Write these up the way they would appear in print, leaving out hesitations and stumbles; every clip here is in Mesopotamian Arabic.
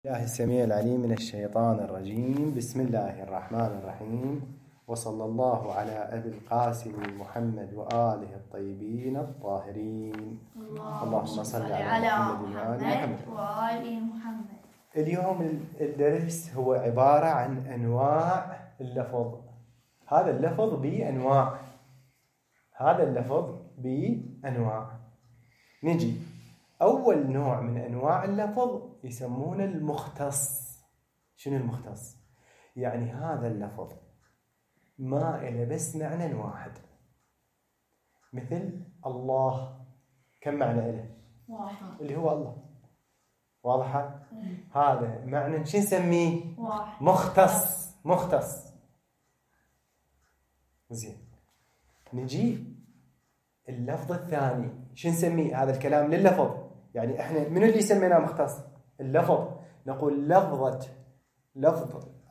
الله السميع العليم من الشيطان الرجيم. بسم الله الرحمن الرحيم، وصلى الله على أبي القاسم محمد وآله الطيبين الطاهرين. اللهم صل على محمد وآل محمد. اليوم الدرس هو عبارة عن أنواع اللفظ. هذا اللفظ بأنواع. نجي أول نوع من أنواع اللفظ يسمونه المختص. شنو المختص؟ يعني هذا اللفظ ما إله بس معنى واحد. مثل الله، كم معنى إله؟ واحد، اللي هو الله. واضحة؟ هذا معنى شو نسميه؟ واحد. مختص. زين، نجي اللفظ الثاني شو نسميه؟ هذا الكلام لللفظ، يعني احنا من اللي سميناه مختص؟ اللفظ. نقول لفظ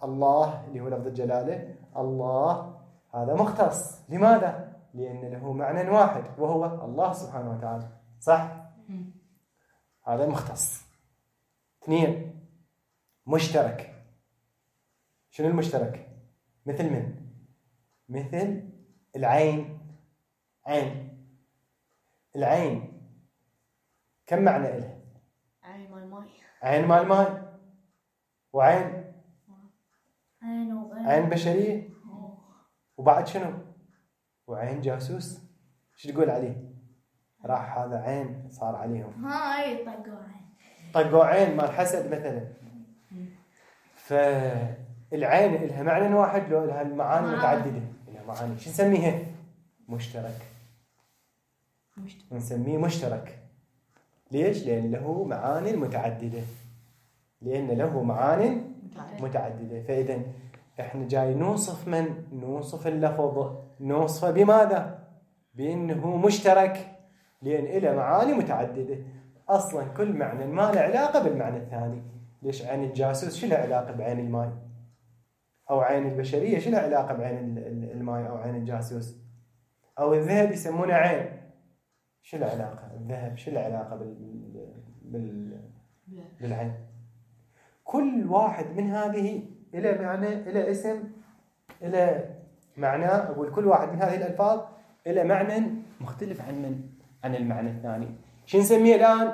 الله اللي هو لفظ الجلالة، الله هذا مختص. لماذا؟ لأن له معنى واحد وهو الله سبحانه وتعالى. صح؟ هذا مختص. اثنين، مشترك. شنو المشترك؟ مثل من؟ مثل العين. العين كم معنى إله؟ عين مال ماي، وعين عين بشرية، وبعد شنو؟ وعين جاسوس. شو تقول عليه؟ راح هذا عين صار عليهم، هاي طقوا عين مال حسد مثلا. فالعين إلها معنى واحد لو إلها المعاني متعددة؟ إلها معاني. شو نسميها؟ مشترك. نسميه مشترك. ليش؟ لأن له معاني متعددة. فإذا إحنا جاي نوصف اللفظ، نوصفه بماذا؟ بأنه مشترك، لأن إله معاني متعددة. أصلا كل معنى ما له علاقة بالمعنى الثاني. ليش عين الجاسوس شو له علاقة بعين الماء؟ أو عين البشرية شو له علاقة بعين الماء أو عين الجاسوس؟ أو الذهب يسمونه عين، شو له علاقة؟ الذهب شو له علاقة بالعين؟ كل واحد من هذه إلى معنى، إلى اسم، إلى معنى. أقول كل واحد من هذه الألفاظ إلى معنى مختلف عن المعنى الثاني. شو نسميه الآن؟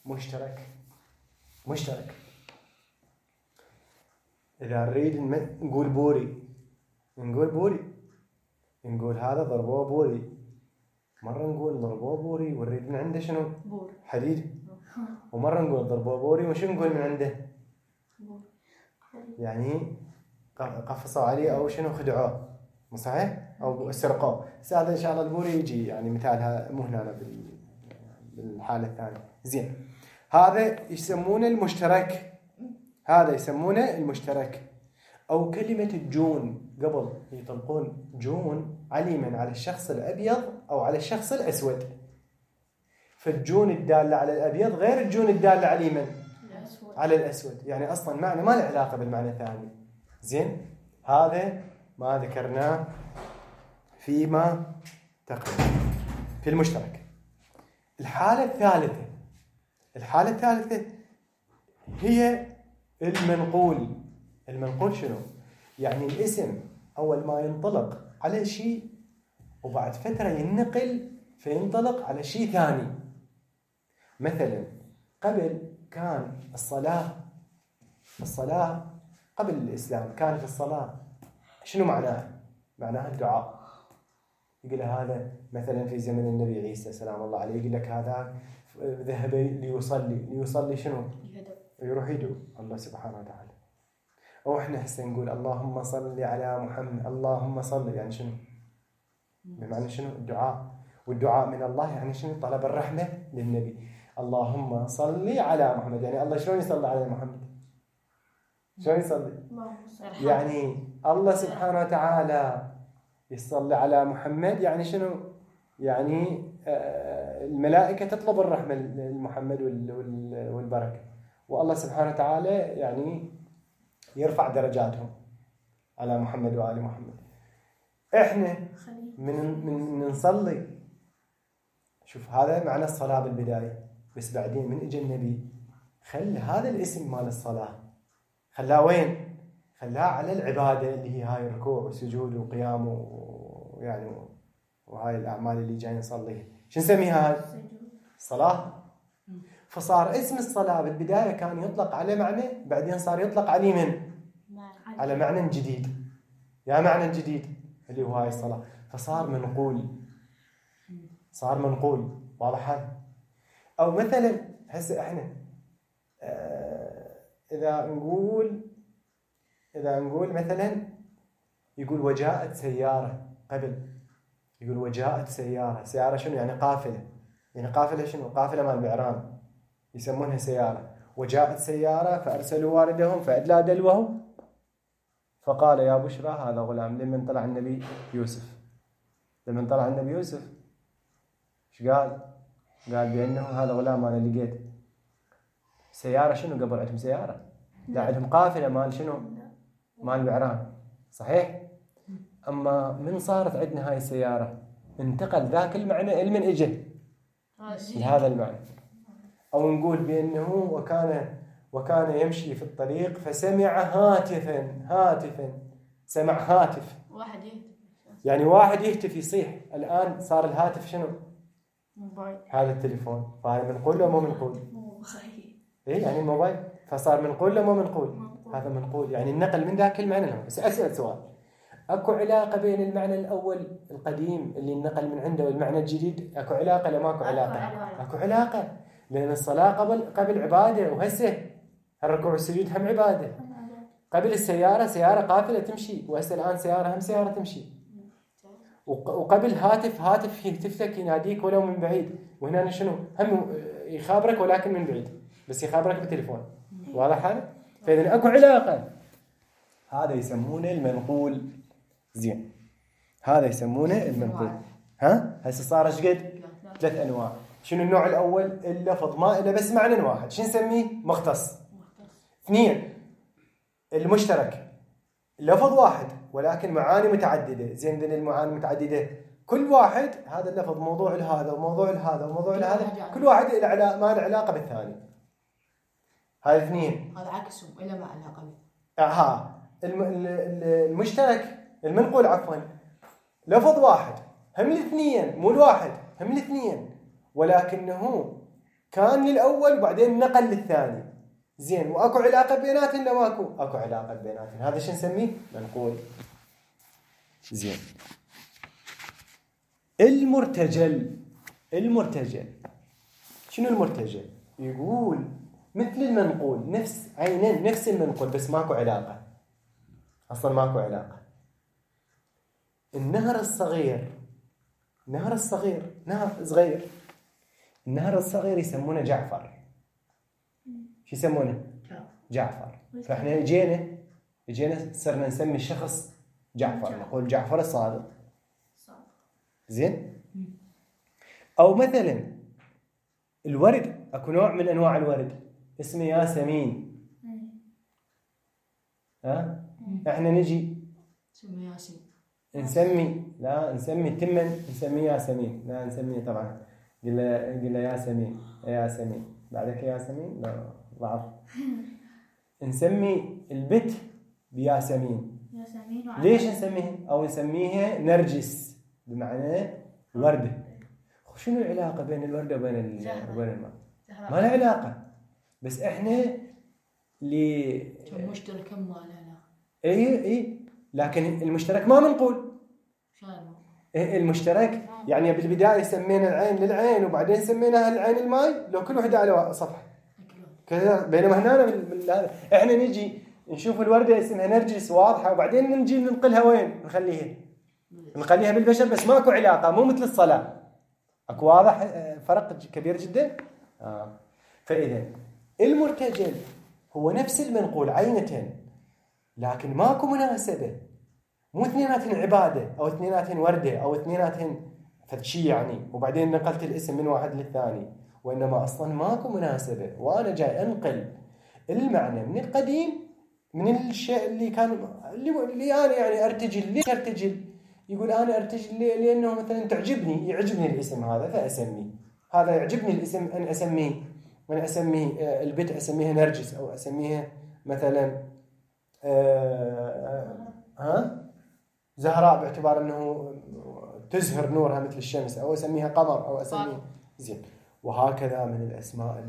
مشترك. إذا نريد نقول بوري، نقول هذا ضربوه بوري. مرة نقول ضربوه بوري ونريد من عنده شنو؟ حديد. ومرة نقول ضربوه بوري وشو نقول من عنده؟ يعني قفصوا عليه أو شنو، خدعوه. مو صحيح؟ أو سرقوه. هذا إن شاء الله البوري يجي يعني مثالها مو هنا بالحالة الثانية. زين، هذا يسمونه المشترك. أو كلمة الجون، قبل يطلقون جون عليما على الشخص الأبيض أو على الشخص الأسود. فالجون الدالة على الأبيض غير الجون الدالة على من؟ على الأسود. يعني أصلا معنى ما له علاقة بالمعنى الثاني. زين، هذا ما ذكرناه فيما تقدم في المشترك. الحالة الثالثة هي المنقول. شنو؟ يعني الاسم أول ما ينطلق على شيء وبعد فترة ينقل فينطلق على شيء ثاني. مثلا قبل كان الصلاة قبل الإسلام كانت الصلاة شنو معناها الدعاء. يقول هذا مثلا في زمن النبي عيسى سلام الله عليه، يقول لك هذا ذهب ليصلي شنو؟ يروح يدعو الله سبحانه وتعالى. أو إحنا هسه نقول اللهم صل على محمد، اللهم صل، يعني شنو؟ بمعنى شنو؟ الدعاء. والدعاء من الله يعني شنو؟ طلب الرحمة للنبي. اللهم صل على محمد، يعني الله شلون يصلي على محمد؟ شلون يصلي؟ يعني الله سبحانه وتعالى يصلي على محمد، يعني شنو؟ يعني الملائكة تطلب الرحمة لمحمد والبركة، والله سبحانه وتعالى يعني يرفع درجاتهم على محمد وآل محمد. احنا من نصلي، شوف هذا معنى الصلاة بالبداية، بس بعدين من اجى النبي خل هذا الاسم مال الصلاة خلاه وين؟ خلاه على العبادة اللي هي هاي الركوع والسجود وقيام ويعني وهاي الأعمال اللي جاي نصليها. شو نسميها هاي؟ الصلاة. فصار اسم الصلاة بالبداية كان يطلق على معنى، بعدين صار يطلق عليه من؟ على معنى جديد. يا معنى جديد اللي هو هاي الصلاة، فصار منقول. صار منقول. واضح هذا؟ أو مثلا هسه احنا إذا نقول مثلا يقول وجاءت سيارة قبل، يقول وجاءت سيارة. سيارة شنو يعني؟ قافلة. يعني قافلة شنو؟ قافلة مال بعران يسمونها سيارة. وجاءت سيارة فأرسلوا واردهم فأدلى دلوه فقال يا بشرى هذا غلام. لمن طلع النبي يوسف، لمن طلع النبي يوسف ايش قال؟ قال بأنه هذا غلام أنا لقيت. سيارة شنو قبل عندهم سيارة؟ لا عندهم قافلة مال شنو؟ مال بعران. صحيح؟ أما من صارت عندنا هاي السيارة انتقل ذاك المعنى لمن إجه لهذا المعنى. أو نقول بأنه وكان يمشي في الطريق فسمع هاتفا. سمع هاتف، واحد يهتف، يعني واحد يهتف يصيح. الآن صار الهاتف شنو؟ موبايل. هذا التليفون. فهذا منقول ولا مو منقول؟ إيه يعني الموبايل. فصار منقول ولا مو منقول؟ هذا منقول. يعني النقل من ذاك المعنى له. بس أسأل سؤال، أكو علاقة بين المعنى الأول القديم اللي نقل من عنده والمعنى الجديد؟ أكو علاقة ولا ماكو علاقة؟ أكو علاقة، لأن الصلاة قبل عبادة، وهسه الركوع والسجود هم عبادة. قبل السيارة سيارة قافلة تمشي، وهسه الآن سيارة هم سيارة تمشي. وقبل هاتف يهتفك يناديك ولو من بعيد، وهنا شنو؟ هم يخابرك ولكن من بعيد، بس يخابرك بالتليفون. واضح هذا؟ فإذا أكو علاقة. هذا يسمونه المنقول. زين، هذا يسمونه المنقول. هسه صار ايش قد؟ 3 أنواع. شنو النوع الأول؟ اللفظ ما إلا بس معنى واحد. شو نسميه؟ مختص. 2 المشترك، لفظ واحد ولكن معاني متعددة. زين، ذن المعاني متعددة كل واحد هذا اللفظ موضوع لهذا وموضوع لهذا وموضوع لهذا، كل واحد ما له علاقة بالثاني. هذا 2. هذا عكسهم إلا ما علاقة به. المشترك المنقول عفوا لفظ واحد، هم الاثنين، مو الواحد، هم الاثنين، ولكنه كان للأول وبعدين نقل للثاني. زين، واكو علاقة بيناتهم لا ماكو؟ اكو علاقة بيناتهم. هذا شو نسميه؟ منقول. زين، المرتجل شنو المرتجل؟ يقول مثل المنقول، نفس عينين نفس المنقول، بس ماكو علاقة، أصلا ماكو علاقة. النهر الصغير نهر صغير، النهر الصغير يسمونه جعفر. شو يسمونه؟ جعفر. فإحنا اجينا صرنا نسمي الشخص جعفر، نقول جعفر الصادق. زين. أو مثلا الورد، أكو نوع من أنواع الورد اسمه ياسمين. إحنا نجي نسمي تمن، نسميه ياسمين. لا نسميه طبعا، قل ياسمين بعدك ياسمين، لا ضعف. نسمي البت بياسمين. ليش نسميه؟ أو نسميها نرجس بمعنى وردة. شنو العلاقة بين الوردة وبين الماء؟ ما له علاقة، بس إحنا مشترك ما له علاقة. إيه، لكن المشترك ما منقول. المشترك يعني بالبداية سمينا العين للعين وبعدين سميناها العين الماء، لو كل واحدة على صفحة كذا. بينما هنا إحنا نجي نشوف الوردة اسمها نرجس واضحة، وبعدين نجي ننقلها وين؟ نخليها بالبشر، بس ماكو علاقة، مو مثل الصلاة. أكو واضح فرق كبير جدا. فإذا المرتجل هو نفس المنقول عينة، لكن ماكو مناسبة، مو اثنيناتهم عبادة أو اثنيناتهم وردة أو اثنيناتهم فدشي يعني وبعدين نقلت الاسم من واحد للثاني، وإنما أصلا ماكو مناسبة، وأنا جاي أنقل المعنى من القديم، من الشيء اللي كان اللي أنا يعني أرتجل. ليش أرتجل؟ يقول أنا أرتجل لأنه مثلا يعجبني الاسم هذا فأسميه، هذا يعجبني الاسم أن أسميه، أنا أسميه البنت أسميها نرجس، أو أسميها مثلا زهراء باعتبار أنه تزهر نورها مثل الشمس، أو أسميها قمر، أو أسميه زين. وهكذا من الأسماء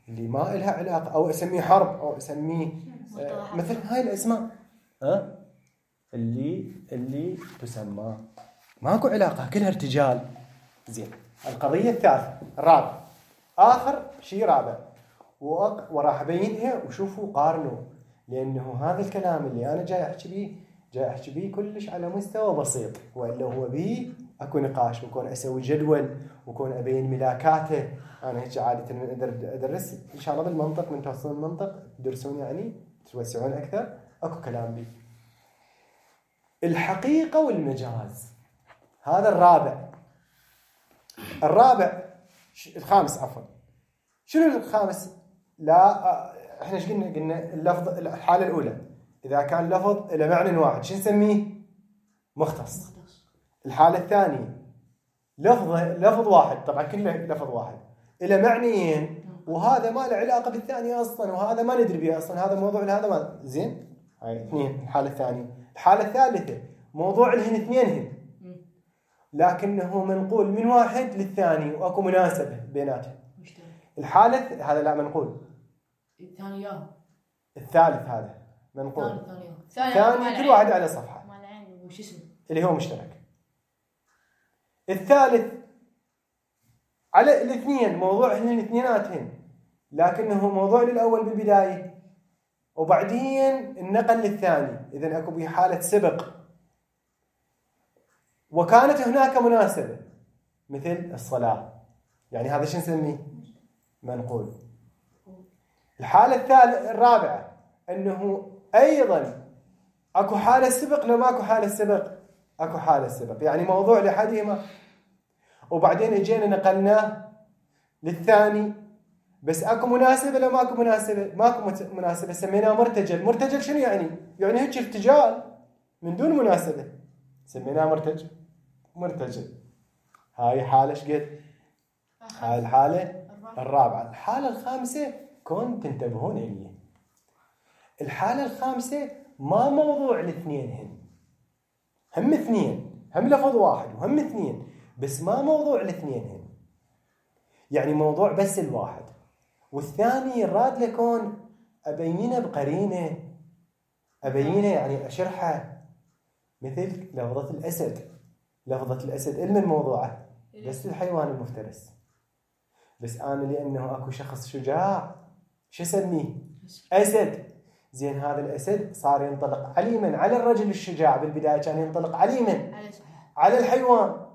اللي ما إلها علاقة، أو أسميه حرب، أو أسميه مثل هاي الأسماء اللي تسمى ماكو علاقة، كلها ارتجال. زين. القضية الثالثة الرابع، آخر شيء رابع، وراح أبينها وشوفوا قارنوا، لأنه هذا الكلام اللي أنا جاي أحكي بيه كلش على مستوى بسيط، وإلا هو بيه أكو نقاش، وكون أسوي جدول، وكون أبين ملاكاته. أنا هيك عادة من أدرس إن شاء الله بالمنطق، من توصلون المنطق تدرسون يعني توسعون أكثر، أكو كلام بيه. الحقيقة والمجاز، هذا الخامس عفوا. شنو الخامس؟ لا احنا ايش قلنا اللفظ، الحالة الأولى إذا كان لفظ إلى معنى واحد شو نسميه؟ مختص. الحالة الثانية لفظ واحد، طبعا كله لفظ واحد إلى معنيين، وهذا ما له علاقة بالثاني أصلا، وهذا ما ندري به أصلا، هذا موضوع لهذا ما زين. هاي اثنين. الحالة الثانية. الحالة الثالثة موضوع لهن اثنينهن، لكنه منقول من واحد للثاني وأكو مناسبة بيناتهم. الحالة هذا لا منقول، الثالث هذا منقول، ثاني كل واحد على صفحة اللي هو مشترك. الثالث على الاثنين، موضوعهن الاثنيناتهن، لكنه موضوع للأول بالبداية وبعدين النقل للثاني. إذن أكو بحالة سبق، وكانت هناك مناسبة مثل الصلاة، يعني هذا شو نسميه؟ منقول. الحالة الرابعة أنه أيضا أكو حالة سبق، لو ماكو حالة سبق أكو حالة سبق، يعني موضوع لحدهما وبعدين اجينا نقلناه للثاني، بس أكو مناسبة لو ماكو مناسبة سميناه مرتجل. مرتجل شنو يعني؟ يعني هيك ارتجال من دون مناسبة، سميناه مرتجل. هاي حالة شقد؟ هاي الحالة الرابعة. الحالة الخامسة كون تنتبهون إليه، الحالة الخامسة ما موضوع الاثنين، هم اثنين، هم لفظ واحد وهم اثنين، بس ما موضوع الاثنين، يعني موضوع بس الواحد، والثاني راد لكون أبينه بقرينة، أبينه يعني أشرحه، مثل لفظة الأسد. لفظة الأسد علم الموضوعة بس الحيوان المفترس، بس أنا لأنه أكو شخص شجاع شو اسميه؟ أسد. زين، هذا الأسد صار ينطلق عليما على الرجل الشجاع، بالبداية كان ينطلق عليما على الحيوان،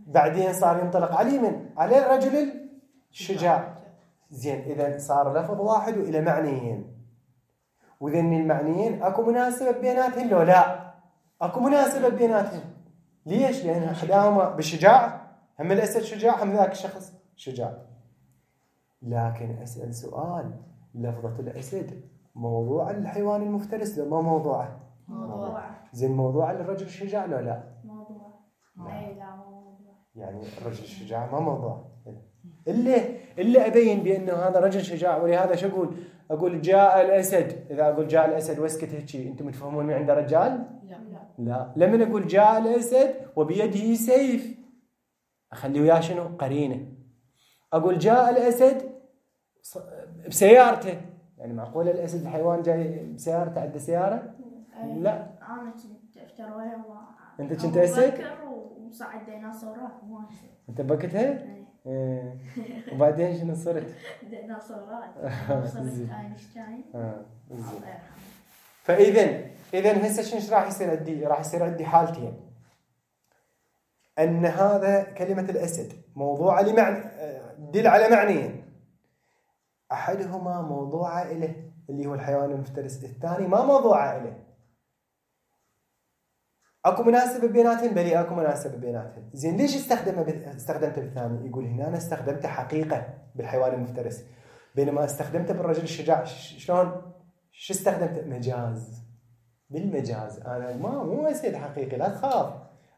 بعدين صار ينطلق عليما على الرجل الشجاع. زين، إذا صار لفظ واحد وإلى معنيين، وذن المعنيين أكو مناسبة بيناتهم لو لا؟ أكو مناسبة بيناتهم. ليش؟ لأن أحداهما بالشجاعة، هم الأسد شجاع هم ذاك الشخص شجاع. لكن أسأل سؤال، لفظة الأسد موضوع الحيوان المفترس لو ما موضوعه؟ موضوع. زين، موضوع للرجل الشجاع لو لا؟ موضوع. لا موضوع. يعني الرجل الشجاع ما موضوع. اللي أبين بأنه هذا رجل شجاع، ولهذا شو أقول جاء الأسد. إذا أقول جاء الأسد واسكت هيك، أنتم تفهمون من عنده رجال؟ لا. لما أقول جاء الأسد وبيده سيف، أخلي وياه شنو؟ قرينة. أقول جاء الأسد بسيارته، يعني معقول الأسد الحيوان جاي بسيارته، عنده سيارة؟ لا. أنا كنت أفترضها. أنت كنت أسد؟ وصعد ديناصورات أنت بكتها؟ وبعدين شنو صرت؟ ديناصورات. وصلت أينشتاين. فإذا هسه شنو راح يصير عندي؟ راح يصير عندي حالتين، أن هذا كلمة الأسد موضوع لمعنى، دل على معنيين، أحدهما موضوع إله اللي هو الحيوان المفترس، الثاني ما موضوع إله. أكو مناسبة بيناتهم؟ بلي أكو مناسبة بيناتهم. زين، ليش استخدمته بالثاني؟ يقول هنا أنا استخدمته حقيقة بالحيوان المفترس، بينما استخدمته بالرجل الشجاع شلون؟ شو استخدمته؟ مجاز. بالمجاز أنا مو أسد حقيقي، لا تخاف.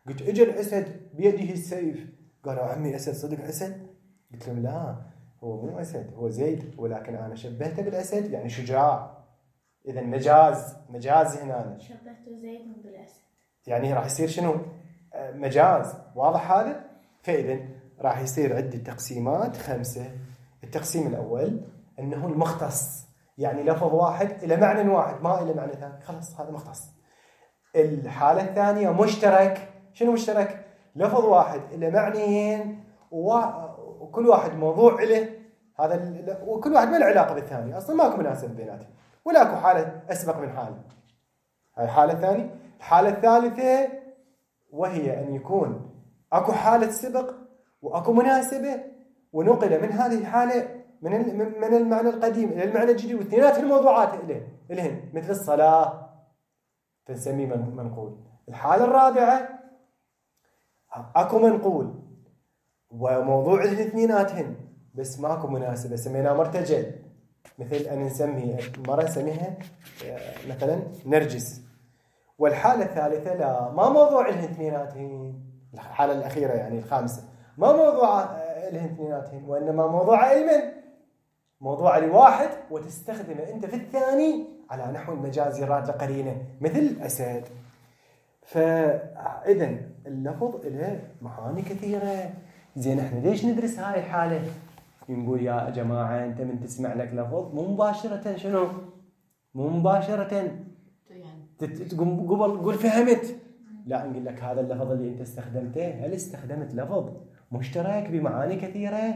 قلت اجى الأسد بيده السيف، قالوا عمي أسد صدق أسد؟ قلت لهم لا، هو مو أسد، هو زيد، ولكن أنا شبهته بالأسد يعني شجاع. إذا مجاز هنا. شبهته زيد بالأسد. يعني راح يصير شنو؟ مجاز. واضح هذا؟ فإذا راح يصير عندي تقسيمات 5. التقسيم الأول أنه المختص، يعني لفظ واحد إلى معنى واحد ما إلى معنى ثاني، خلاص هذا مختص. الحالة الثانية مشترك. شنو مشترك؟ لفظ واحد إلى معنيين وكل واحد موضوع له، هذا وكل واحد ما له علاقة بالثاني، أصلا ماكو مناسبة بيناتهم ولا أكو حالة أسبق من حالة. هاي الحالة الثانية. الحالة الثالثة وهي أن يكون أكو حالة سبق وأكو مناسبة، ونقل من هذه الحالة من المعنى القديم إلى المعنى الجديد، واثنينات الموضوعات إلهن مثل الصلاة فنسميه منقول. الحالة الرابعة أكو منقول وموضوع الاثنيناتهن بس ماكو مناسبة، سميناه مرتجل. مثل أن نسميه مرة نسميها مثلا نرجس. والحالة الثالثة لا، ما موضوع الاثنيناتهن. الحالة الأخيرة يعني الخامسة ما موضوع الاثنيناتهن، وإنما موضوع علما، موضوع لواحد وتستخدمه أنت في الثاني على نحو المجاز يراد لقرينة مثل أسد. فإذا اللفظ له معاني كثيرة. زين احنا ليش ندرس هاي الحالة؟ نقول يا جماعة أنت من تسمع لك لفظ مو مباشرة شنو؟ مو مباشرة قبل قول فهمت، لا نقول لك هذا اللفظ اللي أنت استخدمته هل استخدمت لفظ مشترك بمعاني كثيرة؟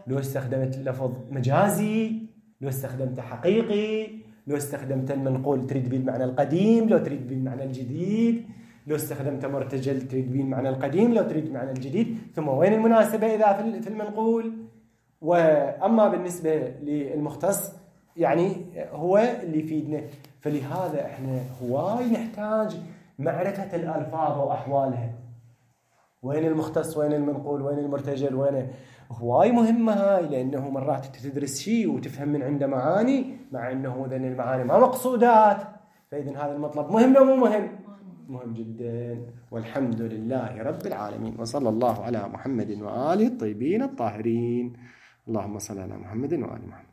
لو استخدمت لفظ مجازي، لو استخدمت حقيقي، لو استخدمت المنقول تريد به المعنى القديم، لو تريد به المعنى الجديد، لو استخدمت مرتجل تريد به المعنى القديم، لو تريد المعنى الجديد، ثم وين المناسبة إذا في المنقول. وأما بالنسبة للمختص يعني هو اللي يفيدنا. فلهذا احنا هواي نحتاج معرفة الألفاظ وأحوالها، وين المختص وين المنقول وين المرتجل وين، هواي مهمة هاي، لأنه مرات تدرس شيء وتفهم من عنده معاني مع أنه ذن المعاني ما مقصودات. فإذن هذا المطلب مهم أو مو مهم؟ مهم جدا. والحمد لله رب العالمين، وصلى الله على محمد وآله الطيبين الطاهرين. اللهم صل على محمد وآل محمد.